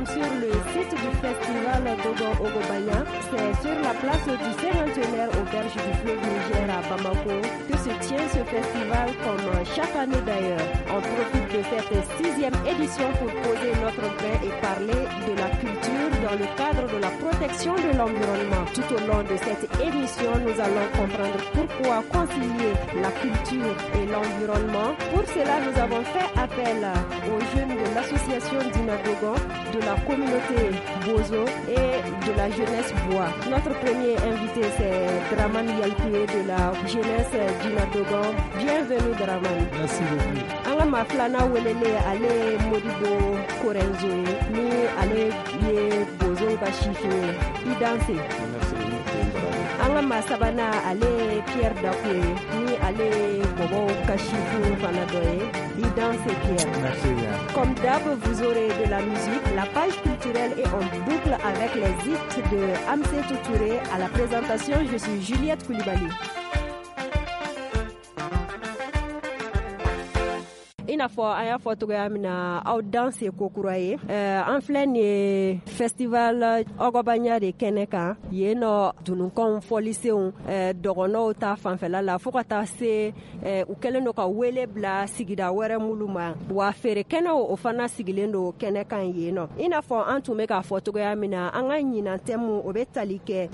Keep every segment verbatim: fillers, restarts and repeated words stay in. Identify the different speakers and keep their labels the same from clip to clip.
Speaker 1: sommes sur le site du festival Dogon Ogobanya. C'est sur la place du Cinquantenaire aux berges du fleuve Niger à Bamako que se tient ce festival comme chaque année d'ailleurs. On profite de cette sixième édition pour poser notre grain et parler de la culture dans le cadre de la protection de l'environnement. Tout au long de cette émission, nous allons comprendre pourquoi concilier la culture et l'environnement. Pour cela, nous avons fait appel aux jeunes de l'association Dina Dogon, de la communauté Bozo et de la jeunesse Bois. Notre premier invité, c'est Draman Yalkoué de la jeunesse Dina Dogon. Bienvenue Draman.
Speaker 2: Merci beaucoup.
Speaker 1: An ka maa filanan welele ale Modibo Korenzo ye ni ale ye Bozow ka sifin ye. I danse.
Speaker 2: Merci.
Speaker 1: An ka maa sabanan ale ye Pierre Dako ye ni ale ye Bɔbɔw ka sifin fana dɔ ye. I danse Pierre.
Speaker 2: Merci bien.
Speaker 1: Comme d'hab, vous aurez de la musique, la page culturelle et on boucle avec les hits de Amsetou Touré. À la présentation, je suis Juliette Koulibaly. I n'a fɔ an y'a fɔ cogoya min na aw danse ko kura ye an filɛ nin ye festival Ogobanya de kɛnɛ kan yen nɔ dununkanw fɔlisenw dɔgɔnɔw ta fanfɛla la fo ka taa se u kɛlen don ka wele bila sigida wɛrɛ mulu ma wa feere kɛnɛw o fana sigilen don kɛnɛ kan yen nɔ i n'a fɔ an tun bɛ k'a fɔ cogoya min na an ka ɲinan thème o bɛ tali kɛ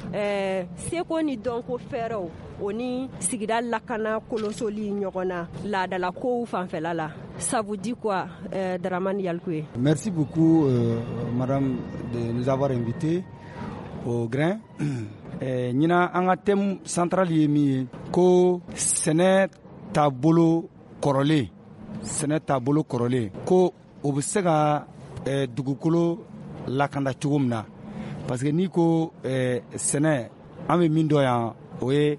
Speaker 1: seko ni dɔnko fɛɛrɛw o ni sigida lakana kolosoli ɲɔgɔn na laadalakow fanfɛla la. Ça vous dit quoi, euh, Draman Yalkoué?
Speaker 2: Merci beaucoup, euh, madame, de nous avoir invités au grain. Ɲinan an ka thème central ye min ye ko sɛnɛ taabolo kɔrɔlen sɛnɛ taabolo kɔrɔlen ko o bɛ se ka eh, dugukolo lakanda cogo min na, parce que n'i ko eh, sɛnɛ, an bɛ min dɔn yan o ye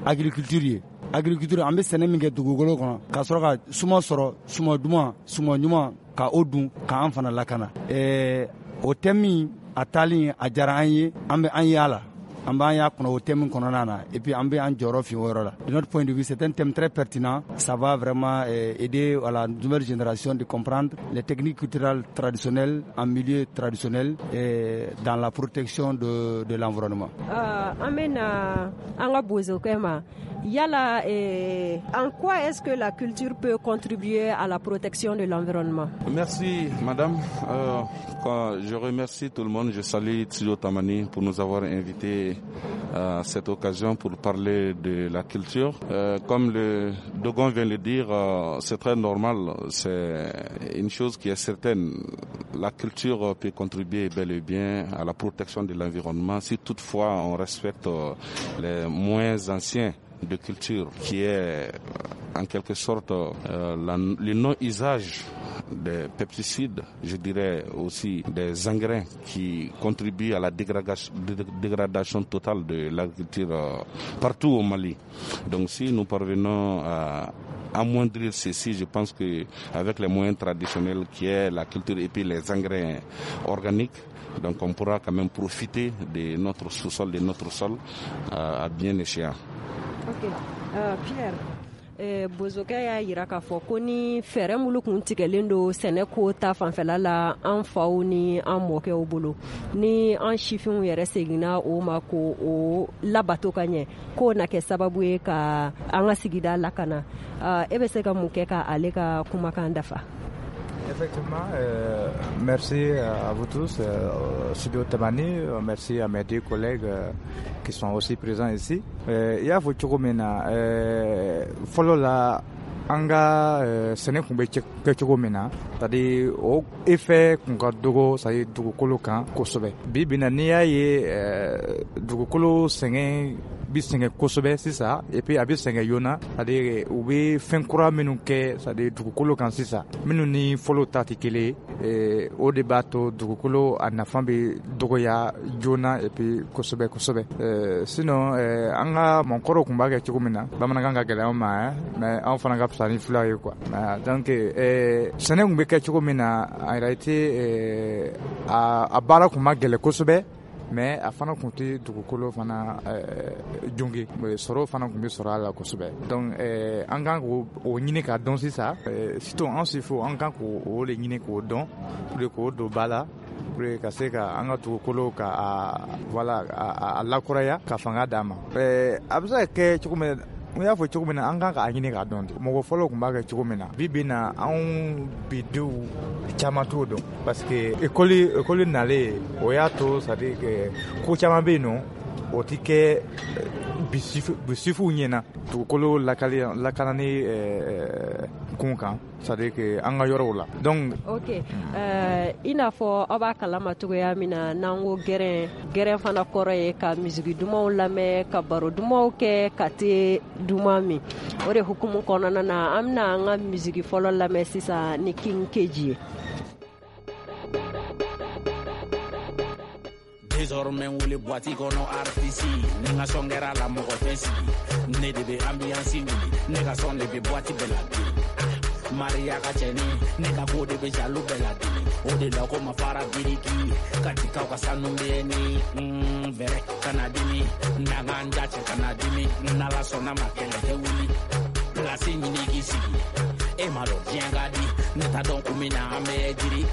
Speaker 2: agriculture ye. Agriculture, an bɛ sɛnɛ min kɛ dugukolo kɔnɔ ka sɔrɔ ka suma sɔrɔ, suma duman, suma ɲuman, ka o dun k'an fana lakana. Ɛɛ o thème min a taalen a diyara an ye, an bɛ an y'a la, an b'an y'a kɔnɔ o thème kɔnɔna na, et puis an bɛ an jɔyɔrɔ fi o yɔrɔ la. De notre point de vue, c'est un thème très pertinent. Ça va vraiment aider à la nouvelle génération de comprendre les techniques culturelles traditionnelles en milieu traditionnel et dans la protection de, de l'environnement.
Speaker 1: An bɛna an ka bozokɛ ma. Yala, eh, en quoi est-ce que la culture peut contribuer à la protection de l'environnement?
Speaker 3: Merci madame. Euh, quand je remercie tout le monde. Je salue Studio Tamani pour nous avoir invités à cette occasion pour parler de la culture. Euh, comme le Dogon vient de le dire, euh, c'est très normal, c'est une chose qui est certaine. La culture peut contribuer bel et bien à la protection de l'environnement si toutefois on respecte les moyens anciens de culture, qui est en quelque sorte euh, la, le non-usage des pesticides, je dirais aussi des engrais qui contribuent à la dégradation, dégradation totale de l'agriculture euh, partout au Mali. Donc si nous parvenons à amoindrir ceci, je pense que avec les moyens traditionnels qui est la culture et puis les engrais organiques, donc on pourra quand même profiter de notre sous-sol, de notre sol euh, à bien échéant.
Speaker 1: Ok, euh, Pierre, eh, bozokɛ y'a yira k'a fɔ ko ni fɛɛrɛ minnu kun tigɛlen don sɛnɛ ko ta fanfɛla la an faw ni an mɔkɛw bolo, ni an sifinw yɛrɛ seginna o ma ko o labato ka ɲɛ, k'o na kɛ sababu ye ka an ka sigida lakana. uh, e bɛ se ka mun kɛ ka ale ka kumakan dafa?
Speaker 4: Effectivement, euh, merci à vous tous, euh, Studio Tamani, merci à mes deux collègues euh, qui sont aussi présents ici. I y'a fɔ cogo min na, fɔlɔ la an ka sɛnɛ tun bɛ kɛ cogo min na, c'est à dire o effet kun ka dɔgɔ, c'est à dire dugukolo kan kosɛbɛ. Bi bi in na, n'i y'a ye dugukolo sɛgɛn bi sɛgɛn kosɛbɛ sisan, et puis a bɛ sɛgɛn joona, c'est à dire u bɛ fɛn kura minnu kɛ, c'est à dire dugukolo kan sisan, minnu ni fɔlɔ ta tɛ kelen ye, o de b'a to dugukolo a nafa bɛ dɔgɔya joona et puis kosɛbɛ kosɛbɛ. Sinon an ka mɔgɔkɔrɔw tun b'a kɛ cogo min na, bamanankan ka gɛlɛn anw ma, mais anw fana ka fisa ni fulaw ye quoi. Donc sɛnɛ tun bɛ kɛ cogo min na, en réalité a a baara tun ma gɛlɛn kosɛbɛ, mais a fana tun tɛ dugukolo fana jonge, sɔrɔ fana tun bɛ sɔrɔ a la kosɛbɛ. Donc an kan k'o ɲini k'a dɔn sisan, surtout an sifo, an kan k'o de ɲini k'o dɔn pour que k'o don ba la. pour que ka se ka an ka dugukolo ka a voilà a, a lakuraya ka fanga d'a ma. Ɛɛ a bɛ se ka kɛ cogo min, n y'a fɔ cogo min na, an kan k'a ɲini k'a dɔn de. Mɔgɔ fɔlɔ tun b'a kɛ cogo min na, bi bi na anw bidenw caman t'o dɔn parce que école école nalen o y'a to, c'est à dire que ko caman bɛ yen nɔ o ti kɛ bisifuw ɲɛna dugukolo lakali lakanani kun kan, c'est à dire que an ka yɔrɔw la. Donc
Speaker 1: ok, euh, i n'a fɔ aw b'a kalama cogoya min na, n'an ko gɛrɛn, gɛrɛn fana kɔrɔ ye ka misigi dumanw lamɛn, ka baro dumanw kɛ, ka te duman min. O de hukumu kɔnɔna na, an bɛna an ka misigi fɔlɔ lamɛn sisan ni King Keji ye.
Speaker 5: Désormais wele boîte kɔnɔ artiste ni n ka sɔn kɛra la mɔgɔ tɛ sigi, ne de bɛ ambiance wuli, ne ka sɔn de bɛ boîte bɛɛ la dimi. Maria ka cɛni ne ka ko de bɛ jaloux bɛɛ la dimi, o de la ko ma fara biriki ka jikaw ka sanu bɛ ni vɛrɛ kana dimi, n'an k'an da cɛ kana dimi, n'ala sɔnna ma kɛlɛ tɛ wuli, place ɲini k'i sigi, e ma dɔn diɲɛ ka di, ne t'a dɔn kun min na an bɛ jiri.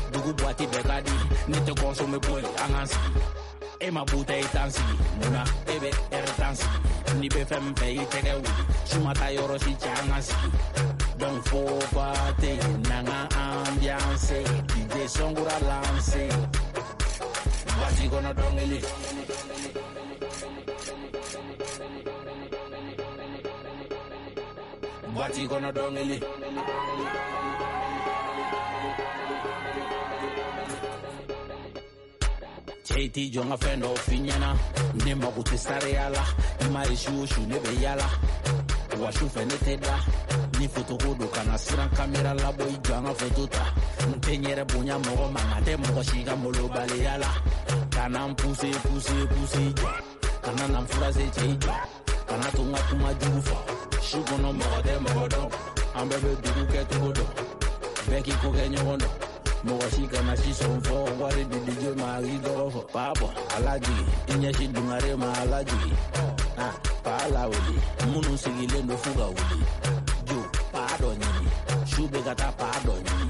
Speaker 5: Dugu boîte bɛɛ ka di, ne tɛ consommer boy an k'an sigi, e ma bouteille tan sigi, munna e bɛ ɛri tan sigi, n'i bɛ fɛn min fɛ i tɛgɛ wuli, su ma taa yɔrɔ si cɛ an k'an sigi. Donc faut pas te n'an ka ambiance, D J Sɔnkura lance, boîte kɔnɔ dɔnkili. Boîte kɔnɔ dɔnkili. Cɛ t'i jɔ n ka fɛn dɔw f'i ɲɛna, ne mago tɛ sariya la, i ma ye su o su ne bɛ yala, wa su fɛ ne tɛ da, ni fotoko don kana siran kamera labɔ i jɔ an ka foto ta, n tɛ n yɛrɛ bonya mɔgɔ ma, nka tɛ mɔgɔ si ka molobaliya la, kana n puse puse puse i jɔ, kana na n furase cɛ i jɔ, kana to n ka kuma jugu fɔ, su kɔnɔ mɔgɔ tɛ mɔgɔ dɔn, an bɛɛ bɛ dugu kɛ cogo dɔn, bɛɛ k'i ko kɛ ɲɔgɔn dɔn. Mɔgɔ si kana si sɔn fɔ wari di D J ma k'i tɔgɔ fɔ, paa bɔ ala jigi i ɲɛsin dungare ma ala jigi, ah paa lawuli minnu sigilen don f'u ka wuli, jo paa dɔ ɲini su bɛ ka taa paa dɔ ɲini,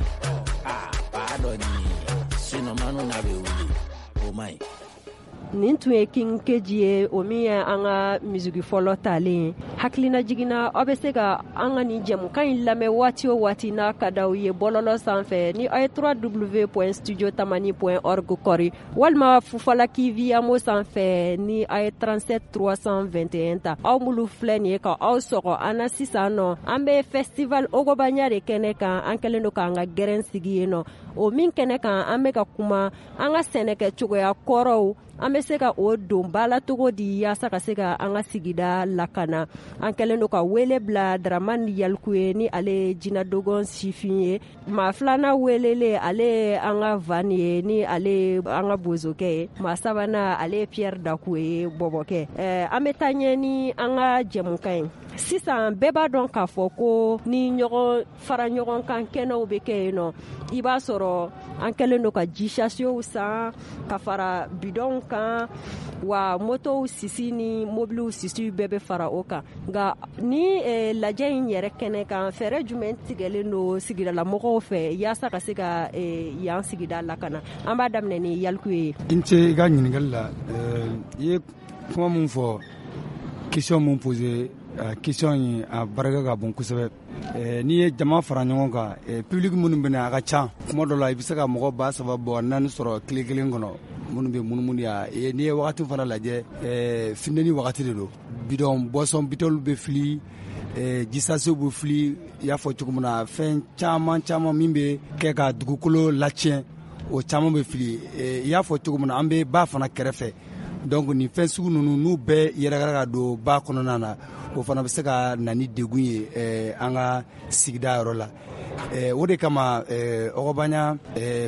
Speaker 5: ah paa dɔ ɲini sinon manu na bɛ wuli o man ɲi.
Speaker 1: Nin tun ye King Keji ye, o min ye an ka misigi fɔlɔ talen ye. Hakilina jiginna, aw bɛ se ka an ka nin jɛmukan in lamɛn waati o waati n'a ka d'aw ye bɔlɔlɔ sanfɛ ni aw ye w w w point studio tamani point org kɔri, walima Fufalaki Viyamo sanfɛ ni aw ye trente-sept trois cent vingt et un ta. Aw minnu filɛ nin ye ka aw sɔgɔ an na sisan nɔ, an bɛ festival Ogobanya de kɛnɛ kan, an kɛlen don k'an ka gɛrɛn sigi yen nɔ. O min kɛnɛ kan, an bɛ ka kuma an ka sɛnɛkɛ cogoya kɔrɔw, an bɛ se ka o don ba la cogo di yaasa ka se ka an ka sigida lakana. An kɛlen don ka wele bila Dramane Yaliku ye, ni ale ye Jinɛ Dogon sifin ye. Maa filanan welelen, ale ye an ka Van ye, ni ale ye an ka bozokɛ ye. Maa sabanan, ale ye Pierre Daku ye, bɔbɔkɛ. Ɛɛ an bɛ taa ɲɛ ni an ka jɛmukan ye. Sisan bɛɛ b'a dɔn k'a fɔ ko ni ɲɔgɔn fara ɲɔgɔn kan kɛnɛw bɛ kɛ yen nɔ, i b'a sɔrɔ an kɛlen don ka ji sasiyow san ka fara bidɔnw kan, wa motow sisi ni mobiliw sisi bɛɛ bɛ fara o kan. Nka ni eh, lajɛ in yɛrɛ kɛnɛ kan, fɛɛrɛ jumɛn tigɛlen don sigidalamɔgɔw fɛ yaasa ka se ka eh, yan sigida lakana? An b'a daminɛ ni Yaliku ye.
Speaker 2: I ni ce i ka ɲininkali la. I ye kuma mun fɔ, question mun posé, question in a barika ka bon kosɛbɛ. N'i ye jama fara ɲɔgɔn kan, public minnu bɛ na a ka ca, kuma dɔ la i bɛ se ka mɔgɔ ba saba bɔ naani sɔrɔ tile kelen kɔnɔ minnu bɛ munumunu yan. N'i ye wagati fana lajɛ, funteni wagati de don, bidɔn boisson bitɔnw bɛ fili, jisasew bɛ fili, i y'a fɔ cogo min na, fɛn caman caman min bɛ kɛ ka dugukolo latiɲɛ, o caman bɛ fili. I y'a fɔ cogo min na, an bɛ ba fana kɛrɛfɛ, donc nin fɛn sugu ninnu n'u bɛɛ yɛrɛkɛra ka don ba kɔnɔna na, o fana bɛ se ka na ni degun ye an ka sigida yɔrɔ la. O de kama Ogobanya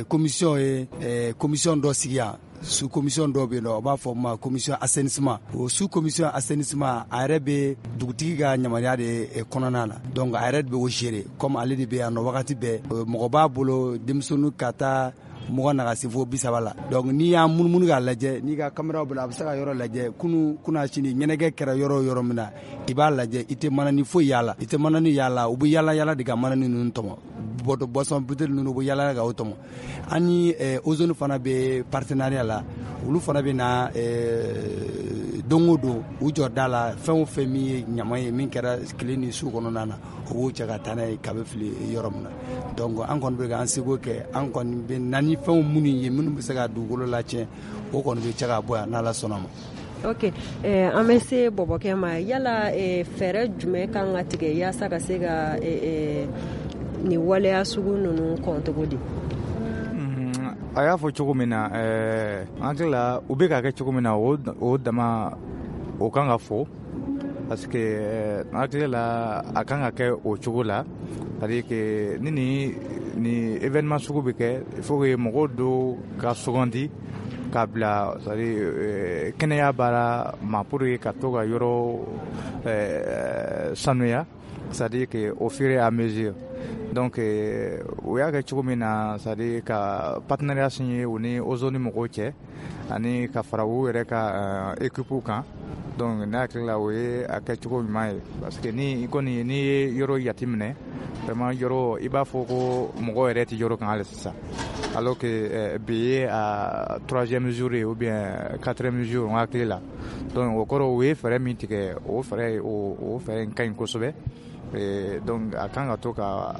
Speaker 2: commission ye commission dɔ sigi yan, sous commission dɔ bɛ yen nɔ, o b'a fɔ ma commission assainissement. O sous commission assainissement, a yɛrɛ bɛ dugutigi ka yamaruya de kɔnɔna na, donc a yɛrɛ de bɛ o gérer, comme ale de bɛ yan nɔ wagati bɛɛ. Mɔgɔ b'a bolo denmisɛnnin ka taa mɔgɔ na ka se fo bi saba la. Donc n'i y'a munumunu k'a lajɛ, n'i ka caméra bolo, a bɛ se ka yɔrɔ lajɛ. Kunu kuna sini ɲɛnajɛ kɛra yɔrɔ o yɔrɔ min na, i b'a lajɛ, i tɛ manani foyi y'a la, i tɛ manani y'a la. U bɛ yala yala de ka manani ninnu tɔmɔ. boisson bouteille ninnu bɛ yala ka o tɔmɔ. An ni Ozone fana bɛ partenariat la, olu fana bɛ na don o don u jɔ da la, fɛn o fɛn min ye ɲama ye min kɛra tile ni su kɔnɔna na, o b'o cɛ ka taa n'a ye ka bɛ fili yɔrɔ min na. Donc an kɔni bɛ k'an seko kɛ, an kɔni bɛ na ni fɛnw minnu ye minnu bɛ se ka dugukolo latiɲɛ, o kɔni bɛ cɛ ka bɔ yan n'Ala sɔnna ma.
Speaker 1: Ok, eh, an bɛ se bɔbɔkɛ ma. Yala eh, fɛɛrɛ jumɛn kan ka tigɛ yaasa ka se ka eh, eh, nin waleya sugu ninnu kɔn cogo di?
Speaker 4: A y'a fɔ cogo min na, an hakili la u bɛ k'a kɛ cogo min na, o o dama o kan ka fɔ, parce que an hakili la a kan ka kɛ o cogo la. C'est-à-dire que ni ni ni événement sugu bɛ kɛ, il faut que mɔgɔw dɔw ka sugandi k'a bila, c'est-à-dire kɛnɛya baara ma, pour que ka to ka yɔrɔ sanuya, c'est-à-dire que au fur et à mesure. Donc o y'a kɛ cogo min na, c'est-à-dire ka partenariat signé u ni Ozone mɔgɔw cɛ, ani ka fara u yɛrɛ ka équipe kan. Donc ne hakili la o ye a kɛ cogo ɲuman ye, parce que ni i kɔni n'i ye yɔrɔ jateminɛ, vraiment yɔrɔ i b'a fɔ ko mɔgɔ yɛrɛ tɛ yɔrɔ kan hali sisan, alors que bi ye a troisième jour ye ou bien quatrième jour n hakili la. Donc o kɔrɔ u ye fɛɛrɛ min tigɛ, o fɛɛrɛ o o fɛɛrɛ in ka ɲi kosɛbɛ. Donc a kan ka to ka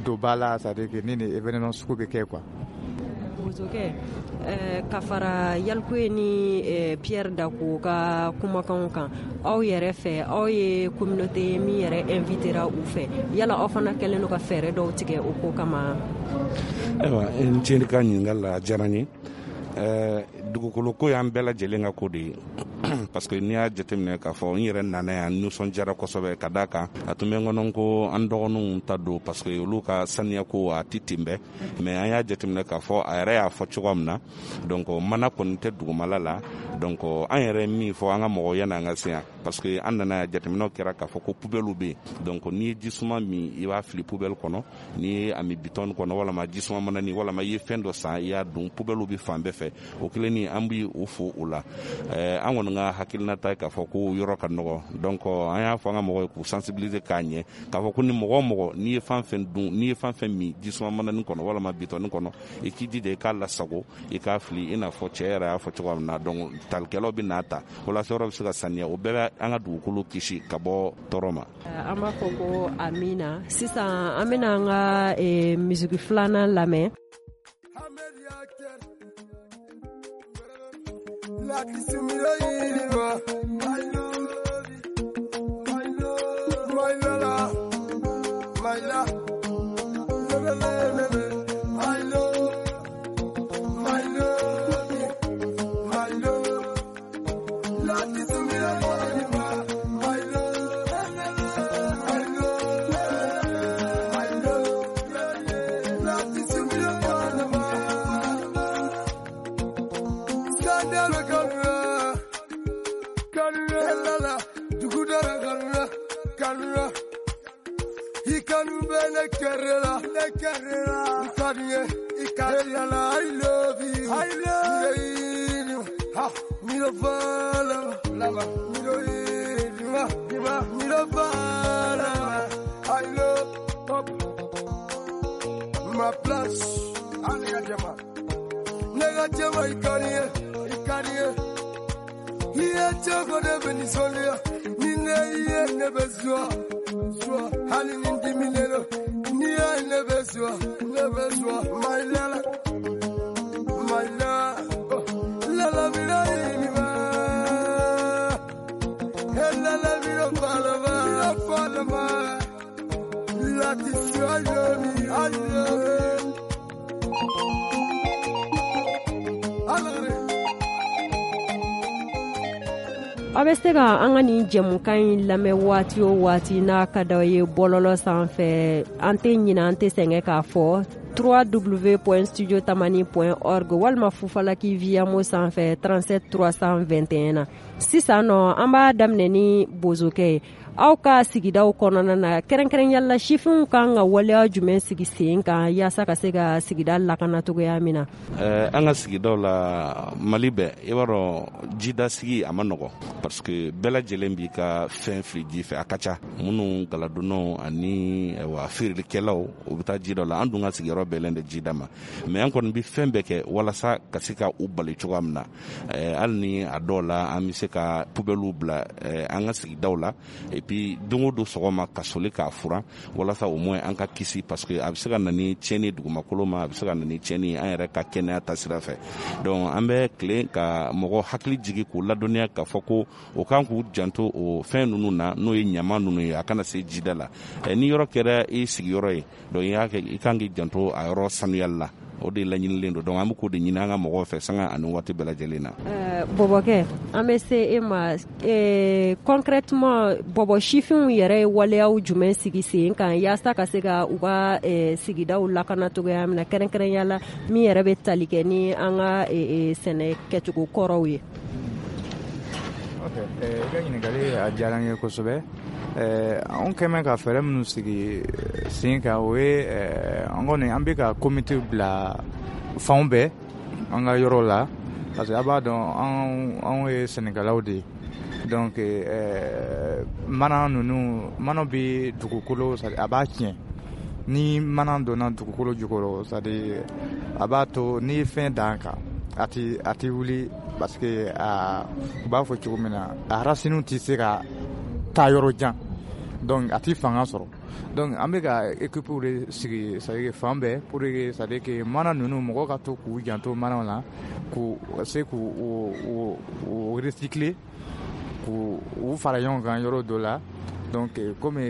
Speaker 4: don ba la, c'est-à-dire que ni ni événement sugu bɛ kɛ quoi.
Speaker 1: Bozokɛ, ka fara Yalikuye ni Pierre Dako ka kumakanw kan, aw yɛrɛ fɛ, aw ye communauté min yɛrɛ invitera u fɛ, yala aw fana kɛlen don ka fɛɛrɛ dɔw tigɛ o ko kama?
Speaker 3: Ayiwa, n ce ka ɲininkali la, a diyara n ye. Dugukolo ko y'an bɛɛ lajɛlen ka ko de ye, parce que n'i y'a jateminɛ k'a fɔ n yɛrɛ nana yan, nisɔndiyara kosɛbɛ ka d'a kan a tun bɛ n kɔnɔ ko an dɔgɔninw ta don, parce que olu ka saniya ko a tɛ ten bɛɛ. Mais an y'a jateminɛ k'a fɔ a yɛrɛ y'a fɔ cogoya min na, donc mana kɔni tɛ dugumala la. Donc an yɛrɛ min fɔ an ka mɔgɔw yanni an ka se yan, parce que an nana yan, jateminɛw kɛra k'a fɔ ko poubelle bɛ yen. Donc n'i ye jisuma min, i b'a fili poubelle kɔnɔ, n'i ye a min bitɔn kɔnɔ, walama jisuma manani, walama i ye fɛn dɔ san i y'a dun, poubelle bɛ fan bɛɛ fɛ. O kelen ni an bɛ o fo o la. An kɔni ka hakilinata ye k'a fɔ ko yɔrɔ ka nɔgɔ. Donc an y'a fɔ an ka mɔgɔw ye k'u sensibiliser k'a ɲɛ k'a fɔ ko ni mɔgɔ o mɔgɔ n'i ye fɛn fɛn dun, n'i ye fɛn fɛn min jisuma manani kɔnɔ walama bitɔni kɔnɔ, i k'i jija i k'a lasago, i k'a fili i n'a fɔ cɛ yɛrɛ y'a fɔ cogoya min na. Donc talikɛlaw bɛ n'a ta walasa yɔrɔ bɛ se ka saniya, o bɛɛ bɛ an ka dugukolo kisi ka bɔ tɔɔrɔ ma.
Speaker 1: An b'a fɔ ko amina. Sisan an bɛna an ka misiki filanan lamɛn.
Speaker 6: La kisumira iriba, my love, my love, my love, my love, my love, my love, my love. La kisumira iriba, my love, my love, my love. La kisumira iriba. I love you, I love you. Ha, mi lo fala, lava, mi lo irima, mi lo fala. I love up ma place. Nega jama, nega jama ikariye, ikariye. Iye choko de benisolia, nine iye nebezua, zua. Hali nindi minelo, niye nebezua, nebezua. My lala, my lala, lala mira inima. Lala mira palama, mira palama. La tissu I love you, I love you.
Speaker 1: Aw bɛ se ka an ka nin jɛmukan in lamɛn waati o waati n'a ka d'aw ye bɔlɔlɔ sanfɛ. An tɛ ɲinɛ, an tɛ sɛgɛn k'a fɔ w w point studio tamani point org walima Fufalaki Viamo sanfɛ trente-sept trois cent vingt et un na. Sisan nɔ an b'a daminɛ ni bozokɛ ye. Aw ka sigidaw kɔnɔna na, kɛrɛnkɛrɛnya la sifinw kan ka waleya jumɛn sigi sen kan yaasa ka se ka sigida lakana cogoya min na?
Speaker 3: Ɛɛ an ka sigidaw la, Mali bɛɛ, i b'a dɔn jidasigi a ma nɔgɔ, parce que bɛɛ lajɛlen b'i ka fɛn fili ji fɛ. A ka ca minnu galadonnaw ani wa feerelikɛlaw, u bɛ taa ji dɔ la. An dun ka sigiyɔrɔ bɛɛlen de jida ma, mais an kɔni bɛ fɛn bɛɛ kɛ walasa ka se ka u bali cogoya min na. Hali ni a dɔw la an bɛ se ka poubelles bila an ka sigidaw la, et puis don o don sɔgɔma ka soli k'a furan walasa au moins an ka kisi, parce que a bɛ se ka na ni tiɲɛni dugumakolo ma, a bɛ se ka na ni tiɲɛni an yɛrɛ ka kɛnɛya ta sira fɛ. Donc an bɛ tilen ka mɔgɔ hakili jigin k'u ladɔnniya k'a fɔ ko o kan k'u janto o fɛn ninnu na, n'o ye ɲama ninnu ye, a kana se jida la. Ni yɔrɔ kɛra i sigiyɔrɔ ye, donc i y'a kɛ, i kan k'i janto a yɔrɔ sanuyali la. O de laɲinilen don. Donc an bɛ k'o de ɲini an ka mɔgɔw fɛ sanga ani waati bɛɛ lajɛlen na.
Speaker 1: Bɔbɔkɛ, an bɛ se e ma. Concrètement, bɔbɔ sifinw yɛrɛ ye waleyaw jumɛn sigi sen kan yaasa ka se ka u ka sigidaw lakana cogoya min na, kɛrɛnkɛrɛnya la min yɛrɛ bɛ tali kɛ ni an ka sɛnɛ kɛcogo kɔrɔw ye?
Speaker 4: Ok, i ka ɲininkali a diyara n ye kosɛbɛ. Anw kɛmɛ ka fɛɛrɛ minnu sigi sen kan, o ye an kɔni an bɛ ka komite bila fanw bɛɛ an ka yɔrɔ la, parce que a b'a dɔn anw anw ye sɛnɛkɛlaw de ye. Donc mana ninnu, mana bɛ dugukolo, a b'a tiɲɛ. Ni mana donna dugukolo jukɔrɔ, c'est à dire a b'a to n'i ye fɛn dan kan, a ti a ti wuli, parce que a u b'a fɔ cogo min na, a racines tɛ se ka taa yɔrɔ jan, donc a ti fanga sɔrɔ. Donc an bɛ ka équipe de sigi, c'est à dire fan bɛɛ, pour que c'est à dire que mana ninnu, mɔgɔw ka to k'u janto manaw la, k'u se k'u u u recycler, k'u u fara ɲɔgɔn kan yɔrɔ dɔ la. Donc komi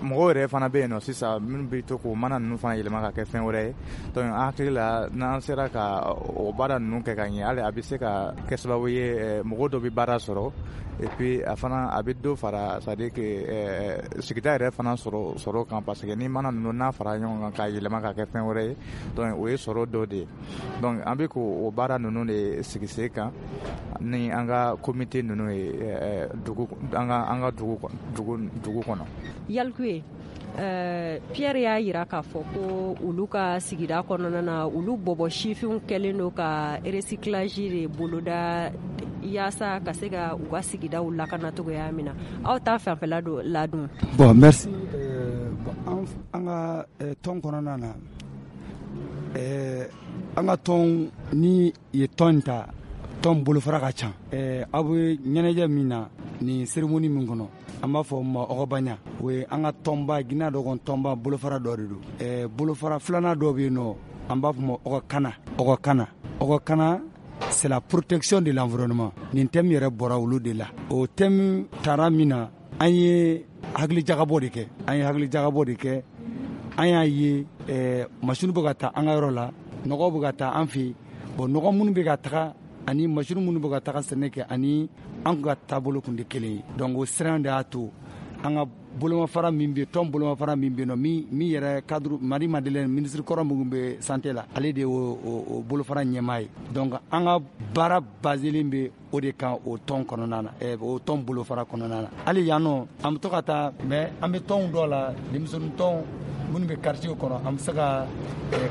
Speaker 4: mɔgɔw yɛrɛ fana bɛ yen nɔ sisan minnu bɛ to k'o mana ninnu fana yɛlɛma ka kɛ fɛn wɛrɛ ye. Donc an hakili la, n'an sera ka o baara ninnu kɛ ka ɲɛ, hali a bɛ se ka kɛ sababu ye mɔgɔ dɔ bɛ baara sɔrɔ, et puis a fana a bɛ dɔ fara, c'est à dire que sigida yɛrɛ fana sɔrɔ sɔrɔ kan, parce que ni mana ninnu n'a fara ɲɔgɔn kan k'a yɛlɛma ka kɛ fɛn wɛrɛ ye, donc o ye sɔrɔ dɔ de ye. Donc an bɛ k'o baara ninnu de sigi sen kan ni an ka comité ninnu ye dugu, an ka an ka dugu dugu dugu kɔnɔ.
Speaker 1: Yalikuye, Uh, Pierre y'a yira k'a fɔ ko olu ka sigida kɔnɔna na, olu bɔbɔ sifinw kɛlen don ka recyclage de boloda yaasa ka se ka u ka sigidaw lakana cogoya min na. Aw ta fanfɛla don ladon?
Speaker 2: Bon, merci. euh, bon, an ka tɔn kɔnɔna na, euh, an ka tɔn ni ye tɔn ta, tɔn bolofara ka ca. Aw bɛ ɲɛnajɛ min na nin cérémonie min kɔnɔ, an b'a fɔ ma Ɔgɔbaɲa, o ye an ka tɔnba Guinée dɔgɔn tɔnba bolofara dɔ de don. Bolofara filanan dɔ bɛ yen nɔ, an b'a fɔ ma Ɔgɔkana. Ɔgɔkana Ɔgɔkana c'est la protection de l'environnement. Nin thème yɛrɛ bɔra olu de la. O thème taara min na, an ye hakilijagabɔ de kɛ an ye hakilijagabɔ de kɛ an y'a ye machine bɛ ka taa an ka yɔrɔ la, nɔgɔ bɛ ka taa an fɛ yen. Bon, nɔgɔ minnu bɛ ka taga ani machine minnu bɛ ka taga sɛnɛ kɛ ani an ka taabolo kun tɛ kelen ye. Donc o siran de y'a to an ka bolomafara min bɛ tɔn bolomafara min bɛ yen nɔ, min min yɛrɛ cadre Marie Madeleine, ministre kɔrɔ minnu bɛ santé la, ale de y'o o bolofara ɲɛmaa ye. Donc an ka baara baselen bɛ o de kan o tɔn kɔnɔna na, o tɔn bolofara kɔnɔna na. Hali yan nɔ an bɛ to ka taa, mais an bɛ tɔnw dɔ la, denmisɛnnin tɔn minnu bɛ quartier kɔnɔ, an bɛ se ka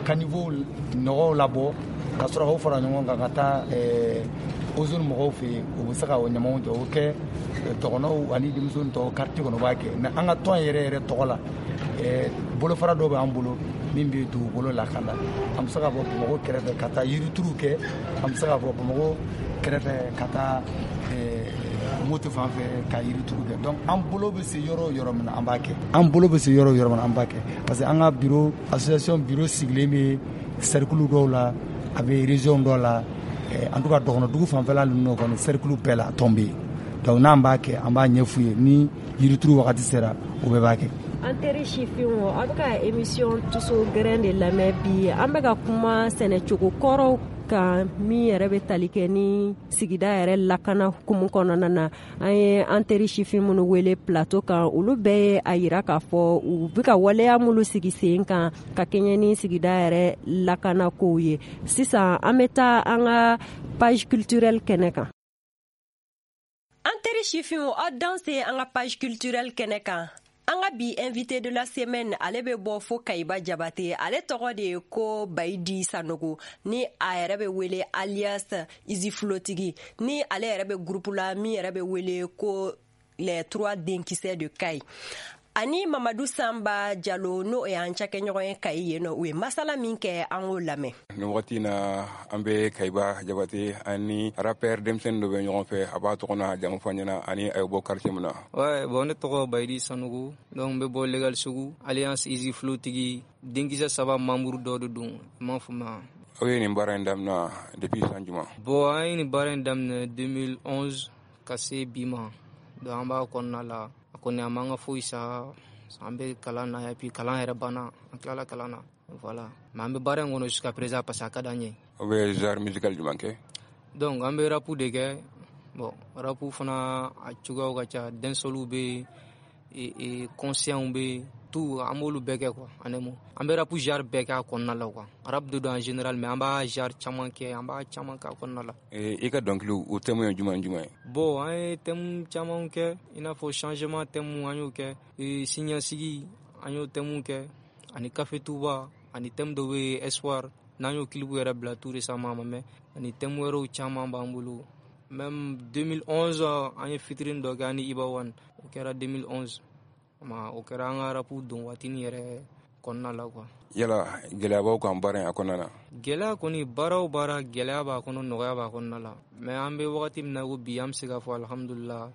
Speaker 2: caniveau nɔgɔw labɔ ka sɔrɔ k'o fara ɲɔgɔn kan ka taa ozone mɔgɔw fɛ yen, u bɛ se ka o ɲamaw jɔ, o kɛ dɔgɔnɔw ani denmisɛnnin tɔw quartier kɔnɔ b'a kɛ. Mais an ka tɔn yɛrɛ yɛrɛ tɔgɔ la, bolofara dɔ bɛ an bolo min bɛ dugukolo lakana. An bɛ se ka bɔ Bamakɔ kɛrɛfɛ ka taa yirituru kɛ, an bɛ se ka bɔ Bamakɔ kɛrɛfɛ ka taa moto fan fɛ ka yirituru kɛ. Donc an bolo bɛ se yɔrɔ o yɔrɔ min na, an b'a kɛ. An bolo bɛ se yɔrɔ o yɔrɔ min na, an b'a kɛ, parce que an ka bureau, association bureau sigilen bɛ cercle dɔw la, a bɛ région dɔw la, en tout cas dɔgɔnɔdugu fanfɛla ninnu kɔni cercle bɛɛ la tɔn bɛ yen. Donc n'an b'a kɛ, an b'a ɲɛf'u ye, ni yirituru wagati sera, o bɛɛ b'a kɛ.
Speaker 1: An teri sifinw, aw bɛ ka émission Tous au grain de lamɛn bi. An bɛ ka kuma sɛnɛcogo kɔrɔw kan min yɛrɛ bɛ tali kɛ ni sigida yɛrɛ lakana hukumu kɔnɔna na. An ye an teri sifin minnu wele plateau kan, olu bɛɛ ye a yira k'a fɔ u bɛ ka waleya minnu sigi sen kan ka kɛɲɛ ni sigida yɛrɛ lakana kow ye. Sisan an bɛ taa an ka page culturelle kɛnɛ kan. An teri sifinw, aw danse an ka page culturelle kɛnɛ kan. An ka bi invité de la semaine, ale bɛ bɔ fo Kayiba Jabate. Ale tɔgɔ de ye ko Bayidi Sanogo, ni a yɛrɛ bɛ wele alias Izi Flotigi, ni ale yɛrɛ bɛ groupe la min yɛrɛ bɛ wele ko les trois denkisɛ de Kayi. Ani Mamadu Samba Jalo, n'o ye an cakɛɲɔgɔn ye Kayi yen nɔ, u ye masala min kɛ, an k'o lamɛn.
Speaker 7: Nin wagati na an bɛ Kayiba Jabate ani rappeur denmisɛnnin dɔ bɛ ɲɔgɔn fɛ, a b'a tɔgɔ n'a jamu fɔ an ɲɛna ani a ye bɔ quartier min na.
Speaker 8: Ouais, bon, ne tɔgɔ Bayidi Sanogo, donc n bɛ bɔ Legal Sugu, Alliance Easy Flow tigi, denkisɛ saba membre dɔ de don, i m'a faamuya.
Speaker 7: Aw ye nin baara in daminɛ depuis san jumɛn?
Speaker 8: Bon, an ye nin baara in daminɛ deux mille onze ka se bi ma, donc an b'a kɔnɔna la. A kɔni a man ka foyi sa, an bɛ kalan na et puis kalan yɛrɛ banna, an tilala kalan na, voilà. Mais an bɛ baara in kɔnɔ jusqu'à présent parce que a ka d'an ye.
Speaker 7: Aw bɛ genre musical jumɛn kɛ?
Speaker 8: Donc an bɛ rap de kɛ. Bon, rap fana a cogoyaw ka ca, dancehall bɛ yen, conscient bɛ yen, tout an b'olu bɛɛ kɛ quoi. En un mot, an bɛ rap genre bɛɛ kɛ a kɔnɔna la quoi. Rap de don en général, mais an b'a genre caman kɛ, an b'a caman kɛ a kɔnɔna la.
Speaker 7: I ka dɔnkiliw, o thème ye jumɛn jumɛn ye?
Speaker 8: Bon, an ye thème caman kɛ, i n'a fɔ changement thème an y'o kɛ, siniɲɛsigi an y'o thème kɛ, ani Café Touba, ani thème dɔ bɛ yen Espoir, n'an y'o clip yɛrɛ bila tout récemment a ma mɛn, ani thème wɛrɛw caman b'an bolo. Même deux mille onze an ye featuring dɔ kɛ ani Iba One, o kɛra deux mille onze. Ma o kɛra an ka rap don waatinin yɛrɛ kɔnɔna la quoi.
Speaker 7: Yala gɛlɛya b'aw kan baara in a kɔnɔna na?
Speaker 8: Gɛlɛya kɔni, baara o baara gɛlɛya b'a kɔnɔ, nɔgɔya b'a kɔnɔna la. Mais an bɛ wagati min na ko bi, an bɛ se k'a fɔ alhamdulillah,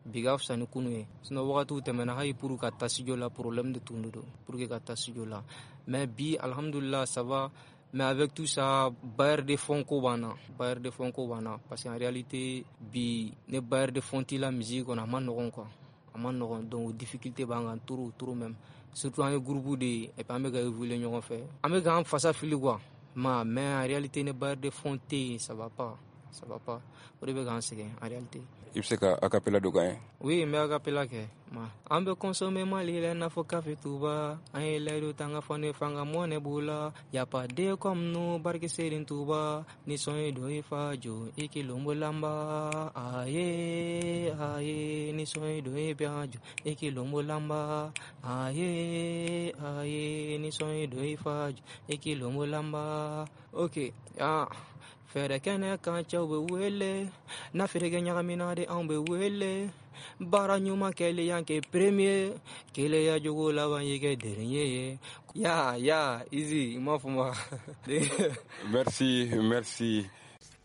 Speaker 8: bi ka fisa ni kunu ye. Sinon wagatiw tɛmɛna, hali pour ka taa studio la problème de tun don pour que ka taa studio la. Mais bi alhamdulillah ça va. Mais avec tout ça, bailleur de fonds ko b'an na, bailleur de fonds ko b'an na, parce qu'en réalité bi ne bailleur de fonds t'i la musique kɔnɔ, a ma nɔgɔn quoi. A ma nɔgɔn, donc difficulté b'an kan trop trop même. Surtout an ye groupe de ye, et puis an bɛ ka évoluer ɲɔgɔn fɛ. An bɛ k'an fasa fili quoi. Ma mais en réalité ne bailleur de fonds tɛ yen, ça va pas, ça va pas. O de bɛ k'an sɛgɛn en réalité.
Speaker 7: I bɛ se ka acapella dɔ k'an ye?
Speaker 8: Oui, n bɛ acapella kɛ. Ma an bɛ consommer Mali la i n'a fɔ Café Touba, an ye layidu ta an ka fɔ ne fanga mɔnɛ b'u la. Y a pas de comme nous, barke Serigne Touba, ni sɔn ye don i fa jo, i k'i lombo lamba. Aye, aye, ni sɔn ye don i bɛ jo, i k'i lombo lamba. Aye, aye, ni sɔn ye don i fa jo, i k'i lombo lamba. Ok, ah. Fɛɛrɛ kɛnɛ kan cɛw bɛ wele, n'a feere kɛ ɲagamina de anw bɛ wele. Baara ɲuman kɛlen y'an kɛ premier, keleya jogo laban y'i kɛ dernier ye. Ya ya, Easy, i m'a fɔ ma.
Speaker 7: Merci, merci.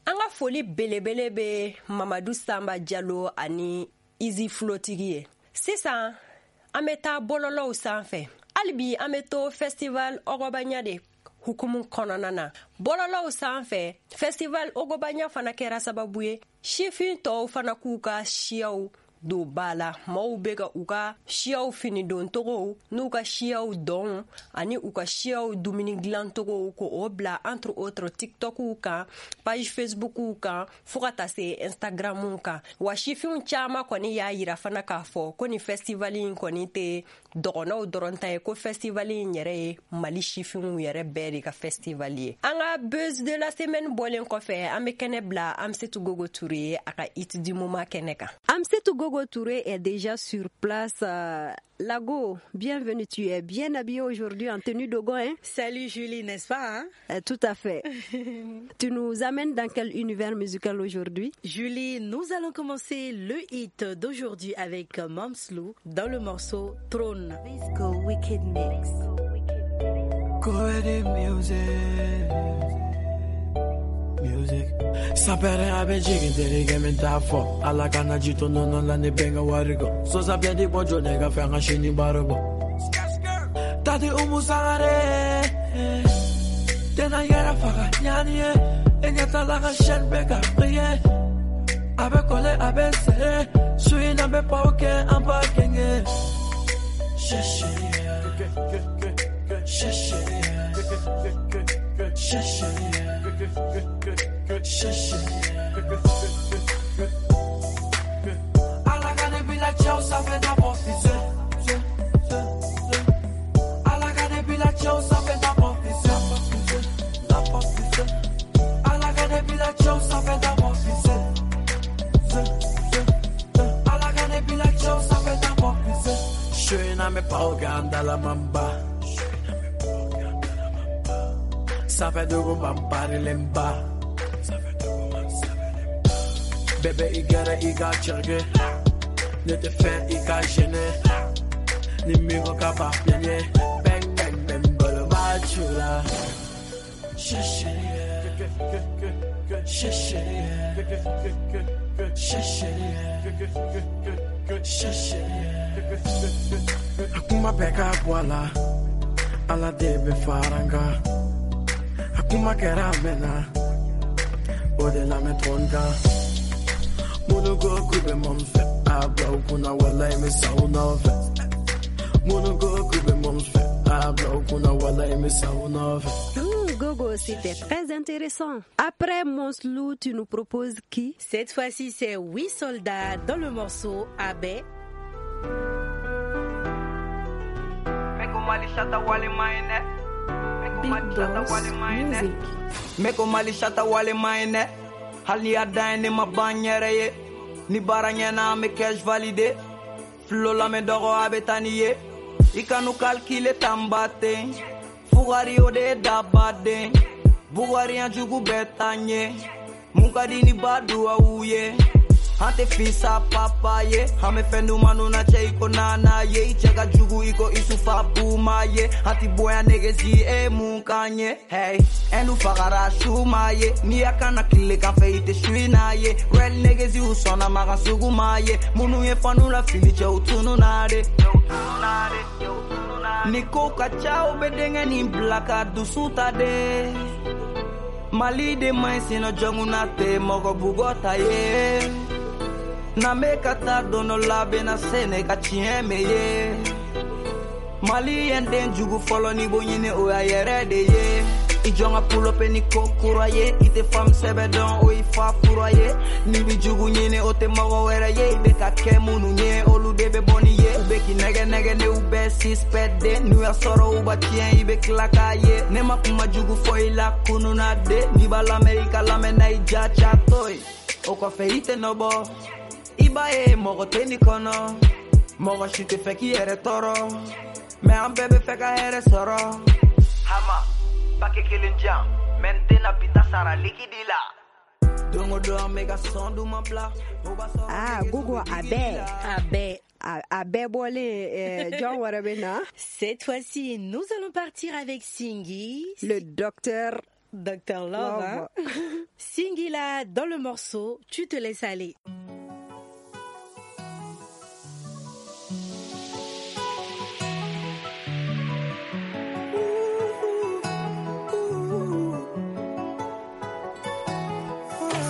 Speaker 1: An ka foli belebele bɛ Mamadu Samba Jalo ani Easy Flotigi ye. Sisan an bɛ taa bɔlɔlɔw sanfɛ. Hali bi an bɛ to festival Ogobanya de hukumu kɔnɔna na. Bɔlɔlɔw sanfɛ, festival Ogobanya fana kɛra sababu ye sifin tɔw fana k'u ka siyaw don ba la. Maaw bɛ ka u ka siyaw fini doncogow n'u ka siyaw dɔnw ani u ka siyaw dumuni dilancogow k'o bila entre autres TikTokiw kan, page Facebookiw kan, fo ka taa se Instagramiw kan. Wa sifinw caman kɔni y'a yira fana k'a fɔ ko nin festival in kɔni tɛ dɔgɔnɔw dɔrɔn ta ye, ko festival in yɛrɛ ye Mali sifinw yɛrɛ bɛɛ de ka festival ye. An ka buzz de la semaine bɔlen kɔfɛ, an bɛ kɛnɛ bila Amsetu Gogo Touré ye a ka hit du moment kɛnɛ kan. Amsetu Gogo Touré est déjà sur place. Euh, Lago, bienvenue. Tu es bien habillée aujourd'hui en tenue dogon, hein?
Speaker 9: Salut Julie, n'est-ce pas, hein?
Speaker 1: Euh, tout à fait. Tu nous amènes dans quel univers musical aujourd'hui?
Speaker 9: Julie, nous allons commencer le hit d'aujourd'hui avec Momslou dans le morceau Trône.
Speaker 10: Disco Wicked Mix.
Speaker 6: Music. Music. Sapere abe jigin tere game ta fo ala kana jito no no la ne benga warigo so sabia di bojo nega fanga shini barobo tati umu sangare tena yera faga nyani enya tala ga shen beka priye abe kole abe se suina be pauke ampa kenge sheshe sheshe sheshe
Speaker 11: Ala ka ne bila cɛw sanfɛ d'abord fise. Ala ka ne bila cɛw sanfɛ d'abord fise. D'abord fise. Ala ka ne bila cɛw sanfɛ d'abord fise. Ala ka ne bila cɛw sanfɛ d'abord fise. Shena me pauganda la mamba. Safe dugu mampari lemba. Bébé i gɛrɛ i ka cɛrɛ. Ne tɛ fɛ i ka gêner. Ni min ko k'a b'a piɲɛ. Bang bang bang bolo b'a ju la. Sheshe sheshe sheshe sheshe. A kuma bɛɛ ka bɔ a la. Ala de bɛ fara n kan. A kuma kɛra a mɛnna. O de la n bɛ to n kan. Minnu ko k'u bɛ mɔn fɛ, a bila u kunna walayi n bɛ sa u nɔfɛ. Minnu ko k'u bɛ mɔn fɛ, a bila u kunna walayi n bɛ sa u nɔfɛ.
Speaker 1: Gogo, c'était très intéressant. Après Monslou, tu nous proposes qui?
Speaker 9: Cette fois-ci, c'est Huit Soldats dans le morceau Abe.
Speaker 1: Big Boss Music.
Speaker 11: Meko Mali shata wale maine. Hali ya dan ne ma ban yɛrɛ ye. Ni baara ɲɛna an bɛ cash validé. Filo la mɛ dɔgɔ a bɛ taa ni ye. I kanu calculer tan ba ten. Fugari o de ye dabaden. Bugari yan jugu bɛɛ taa ɲɛ. Mun ka di ni ba duwawu ye. An tɛ fisa papa ye. An bɛ fɛn dumanw na cɛ i ko nana ye. I cɛ ka jugu i ko Isufa Buma ye. An ti bonya negesi e mun k'an ye. Hey, ɛnu fagara su ma ye. N'i y'a kana tile kan fɛ i tɛ su in n'a ye. Real negesi u sɔnna makan sugu ma ye. Minnu ye fanu la fili cɛw tunu na de. Ni ko ka ca u bɛ denkɛ nin bila ka dusu ta de. Mali de man ɲi sinɔ jɔnkuna tɛ mɔgɔ bugɔ ta ye. N'an bɛ ka taa don dɔ la bɛna se ne ka tiɲɛ mɛ ye. Mali ye n den jugu fɔlɔ n'i b'o ɲini o y'a yɛrɛ de ye. I jɔn ka pulope ni ko kura ye. I tɛ faamu sɛbɛ dɔn o y'i fa kura ye. N'i bi jugu ɲini o tɛ mɔgɔ wɛrɛ ye. I bɛ ka kɛ minnu ye olu de bɛ bɔ ni ye. U bɛ k'i nɛgɛ nɛgɛ ne u bɛɛ suspect de. N'u y'a sɔrɔ u b'a tiɲɛ i bɛ tila k'a ye. Ne ma kuma jugu fɔ i la kunun na de. N'i b'a lamɛn i ka lamɛn na i ja ca to ye. O kɔfɛ i tɛ nɔ bɔ. I b'a ye mɔgɔ tɛ nin kɔnɔ. Mɔgɔ si tɛ fɛ k'i yɛrɛ tɔɔrɔ. Mais an bɛɛ bɛ fɛ ka hɛrɛ sɔrɔ. Hama, paquet kelen jan, mais n tɛna bi ta sara likidi la. Don o don an bɛ ka sɔn duman bila. O b'a sɔrɔ
Speaker 1: Ah, Gogo, a bɛɛ.
Speaker 9: A bɛɛ.
Speaker 1: A, a bɛɛ bɔlen, euh, jɔn wɛrɛ bɛ na?
Speaker 9: Cette fois-ci, nous allons partir avec Singui.
Speaker 1: Le docteur.
Speaker 9: Docteur Love.
Speaker 1: Love.
Speaker 9: Hein? Singui là, dans le morceau, tu te laisses aller.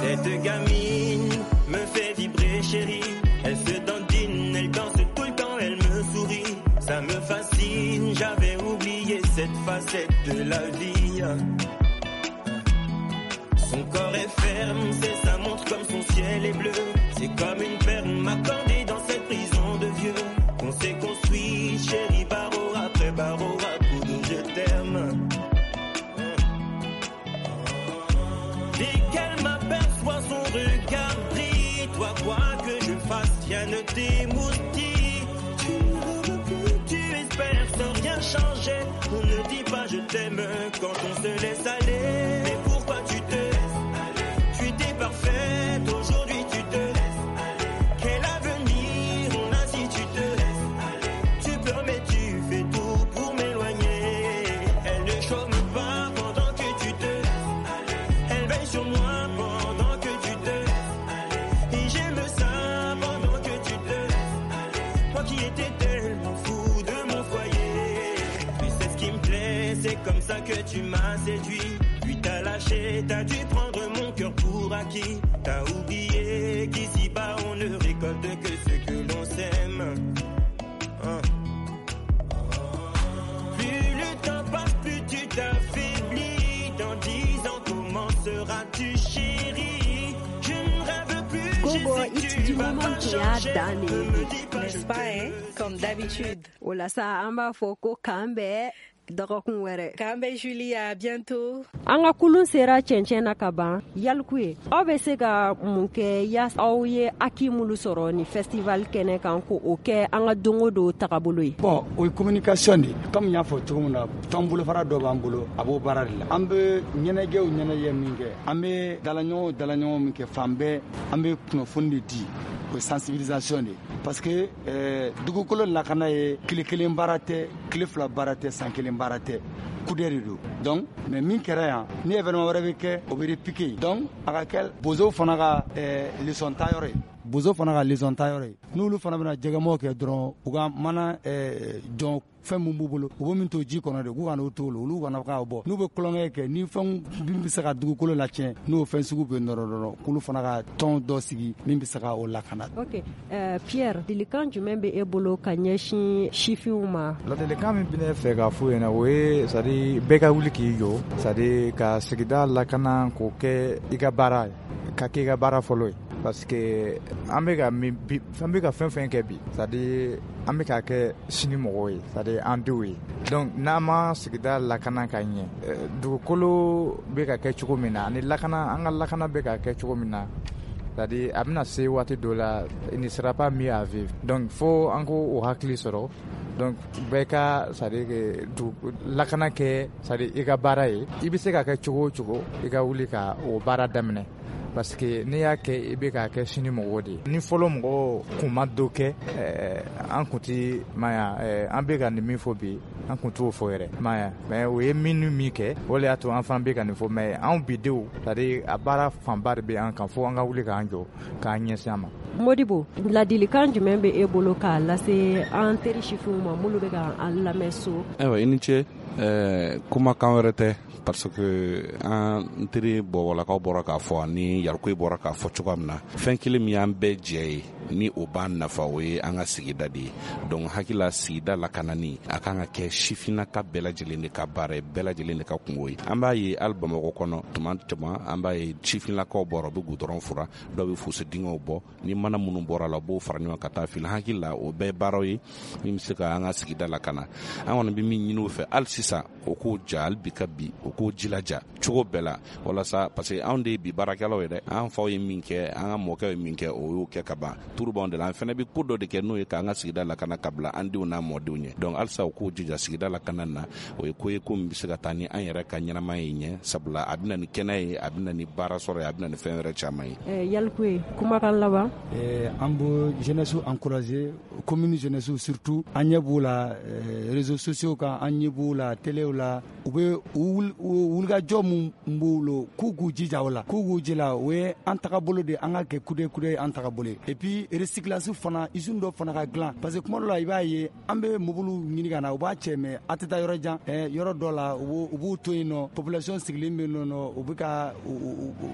Speaker 12: Cette gamine me fait vibrer, chérie. Elle se dandine, elle danse tout le temps, elle me sourit. Ça me fascine, j'avais oublié cette facette de la vie. Son corps est ferme, c'est sa montre comme son ciel est bleu. C'est comme une perle m'accordée dans cette prison de vieux. Qu'on s'est construit, chérie, barreau après barreau, à coup de je t'aime. Dès qu'elle m'aperçoit, son regard brille. Toi, quoi que je fasse, rien ne t'émoustille. Tu ne veux plus, tu espères sans rien changer. On ne dit pas je t'aime quand on se laisse aller. Mais pourquoi tu te laisses aller? Tu étais parfaite, aujourd'hui tu te laisses aller. Quel avenir on a si tu te laisses aller? Tu pleures mais tu fais tout pour m'éloigner. Elle ne chôme pas pendant que tu te laisses aller. Elle veille sur moi pendant que tu te laisses aller. Et j'aime ça pendant que tu te laisses aller. Moi qui étais tellement fou de mon foyer. Tu sais ce qui me plaît, c'est comme ça que tu m'as séduit. Puis t'as lâché, t'as dû prendre mon cœur pour acquis. T'as oublié qu'ici-bas on ne récolte que ce que l'on sème. Hein. Plus le temps passe, plus tu t'affaiblis. Dans dix ans, comment Seras-tu chérie? Je ne rêve plus.
Speaker 1: Gogo,
Speaker 12: je sais
Speaker 1: hit
Speaker 12: tu
Speaker 1: du
Speaker 12: vas
Speaker 1: moment
Speaker 12: pas
Speaker 1: tun y'a
Speaker 12: changer.
Speaker 1: dan de
Speaker 12: Ne
Speaker 1: ye
Speaker 12: me dis pas
Speaker 9: N'est-ce
Speaker 12: je
Speaker 9: pas, hein? Comme d'habitude.
Speaker 1: O la sa an b'a fɔ ko k'an bɛn dɔgɔkun wɛrɛ.
Speaker 9: K'an bɛn Julie, à bientôt.
Speaker 1: An ka kulun sera cɛncɛn na ka ban. Yaliku ye, aw bɛ se ka mun kɛ yaasa aw ye acquis minnu sɔrɔ ni festival kɛnɛ kan ko o kɛ an ka don o don tagabolo ye?
Speaker 2: Bon, o ye communication de ye. Comme n y'a fɔ cogo min na, tɔn bolofara dɔ b'an bolo, a b'o baara de la. An bɛ ɲɛnajɛw ɲɛnajɛ min kɛ, an bɛ dalaɲɔgɔn dalaɲɔgɔn min kɛ, fan bɛɛ an bɛ kunnafoni de di, o ye sensibilisation de ye. Parce que euh, dugukolo lakana ye tile kelen baara tɛ, tile fila baara tɛ, san kelen baara tɛ, kudɛ de don. Donc mais min kɛra yan, ni événement wɛrɛ bɛ kɛ, o bɛ répliquer. Donc a ka kɛ bozow fana ka euh, leçon ta yɔrɔ ye, bozo fana ka leçon ta yɔrɔ ye. N'olu fana bɛna jɛgɛmɔw kɛ dɔrɔn, u ka mana euh, jɔn fɛn min b'u bolo, u bɛ min to ji kɔnɔ de, k'u kana o to olu, olu kana k'a bɔ. N'u bɛ kulonkɛ kɛ ni fɛn min bɛ se ka dugukolo latiɲɛ, n'o fɛn sugu bɛ nɔrɔ dɔrɔn, k'olu fana ka tɔn dɔ sigi min bɛ se ka o lakana.
Speaker 1: Ok, euh, Pierre, ladilikan jumɛn bɛ e bolo ka ɲɛsin sifinw ma?
Speaker 4: Ladilikan min bɛ ne fɛ k'a f'u ɲɛna, o ye c'est à dire bɛɛ ka wuli k'i jɔ, c'est à dire ka sigida lakana k'o kɛ i ka baara ye, ka kɛ i ka baara fɔlɔ ye. Parce que an bɛ ka min bi, an bɛ ka fɛn fɛn kɛ bi, c'est à dire an bɛ k'a kɛ sini mɔgɔw ye, c'est à dire an denw ye. Donc n'an ma sigida lakana ka ɲɛ, dugukolo bɛ ka kɛ cogo min na, ani lakana, an ka lakana bɛ ka kɛ cogo min na, c'est à dire a bɛna se waati dɔ la, il ne sera pas mieux à vivre. Donc fo an k'o hakili sɔrɔ. Donc bɛɛ ka c'est à dire que lakana kɛ, c'est à dire i ka baara ye, i bɛ se ka kɛ cogo o cogo, i ka wuli ka o baara daminɛ. Parce que n'i y'a kɛ, i bɛ k'a kɛ sini mɔgɔw de ye. Ni fɔlɔ mɔgɔw kun ma dɔ kɛ, an kun ti maya, an bɛ ka nin min fɔ bi, an kun t'o fɔ yɛrɛ maya. Mais o ye min ni min kɛ, o de y'a to an fana bɛ ka nin fɔ. Mais anw bi denw, c'est à dire a baara fanba de bɛ an kan, fo an ka wuli k'an jɔ k'an ɲɛsin a ma.
Speaker 1: Modibo, ladilikan jumɛn bɛ e bolo k'a lase an teri sifinw ma minnu bɛ ka an lamɛn so?
Speaker 3: Ayiwa, i ni ce. Kumakan wɛrɛ tɛ, parce que an teri bɔbɔlakaw bɔra k'a fɔ ani Yarikoye bɔra k'a fɔ cogoya min na, fɛn kelen min y'an bɛɛ jɛ ye ni o b'an nafa, o ye an ka sigida de ye. Donc hakili la, sigida lakanani a kan ka kɛ sifinnaka bɛɛ lajɛlen de ka baara ye, bɛɛ lajɛlen de ka kungo ye. An b'a ye hali Bamakɔ kɔnɔ tuma caman, an b'a ye sifinnakaw bɔra, u bɛ goudron fura, dɔw bɛ fosse dingɛw bɔ, ni mana minnu bɔra la, u b'o fara ɲɔgɔn ka taa fili. Hakili la, o bɛɛ baaraw ye min bɛ se ka an ka sigida lakana. An kɔni bɛ min ɲini u fɛ hali sisan, o k'o ja hali bi ka bi, o k'o jilaja cogo bɛɛ la, walasa parce que anw de ye bi baarakɛlaw ye dɛ. An faw ye min kɛ, an ka mɔkɛw ye min kɛ, o y'o kɛ ka ban. Turu b'anw de la, an fana bɛ ko dɔ de kɛ n'o ye k'an ka sigida lakana ka bila an denw n'an mɔdenw ɲɛ. Donc halisa u k'o jija sigida lakana na, o ye ko ye ko min bɛ se ka taa ni an yɛrɛ ka ɲɛnamaya ye ɲɛ, sabula a bɛ na ni kɛnɛya ye, a bɛ na ni baara sɔrɔ ye, a bɛ na ni fɛn wɛrɛ caman ye.
Speaker 1: Yalikuye, kumakan laban.
Speaker 2: An bɛ jeunesse encourager, commune jeunesse surtout, an ɲɛ b'u la réseaux sociaux kan, an ɲɛ b'u la téléw la, u bɛ wulikajɔ mun b'u bolo, k'u k'u jija o la, k'u k'u jija, o ye an tagabolo de, an ka kɛ kude kude an tagabolo ye. Et puis recyclage fana, usine dɔ fana ka dilan, parce que kuma dɔ la i b'a ye an bɛ mobiliw ɲini ka na, u b'a cɛ, mais a tɛ taa yɔrɔ jan, yɔrɔ dɔ la u b'u to yen nɔ, population sigilen bɛ yen nɔ, u bɛ ka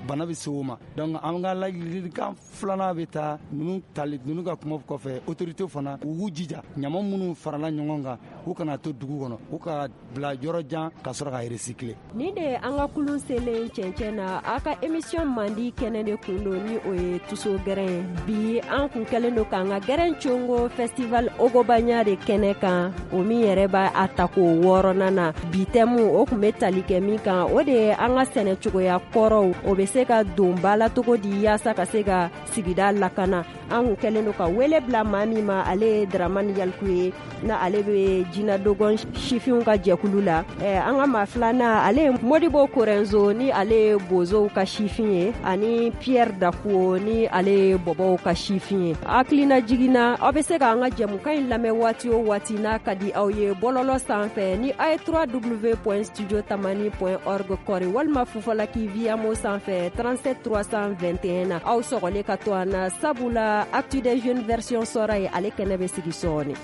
Speaker 2: bana bɛ se o ma. Donc an ka ladilikan filanan bɛ taa ninnu tali ninnu ka kuma kɔfɛ, autorité fana u k'u jija, ɲama minnu farala ɲɔgɔn kan, u kana to dugu kɔnɔ, u ka bila yɔrɔ jan ka sɔrɔ ka recycler.
Speaker 1: Ni de an ka kulun selen cɛncɛn na, a ka émission mandi kɛnɛ de kun don, ni o ye Tuso Gɛrɛn. Bi an kun kɛlen don k'an ka gɛrɛn congo festival Ogobanya de kɛnɛ kan, o min yɛrɛ b'a a tako wɔɔrɔnan na. Bi thème o kun bɛ tali kɛ min kan, o de ye an ka sɛnɛ cogoya kɔrɔw, o bɛ se ka don ba la cogo di yaasa ka se ka sigida lakana. An kun kɛlen don ka wele bila maa min ma, ale ye Dramane Yalikuye, na ale bɛ Jina Dogon sifinw ka jɛkulu la. An ka maa filanan, ale ye Modibo Korenzo, ni ale ye bozow ka sifin ye, ani Pierre Dakuo, ni ale ye bɔbɔw ka sifin ye. Hakilina jiginna, aw bɛ se k'an ka jɛmukan in lamɛn waati o waati n'a ka di aw ye bɔlɔlɔ sanfɛ ni a ye w w w point studio tamani point org kɔri, walima Fufalaki Viamo sanfɛ trente-sept trois cent vingt et un na. Aw sɔgɔlen ka to an na, sabula Actu des Jeunes version sɔrɔ ye, ale kɛnɛ bɛ sigi sɔɔni.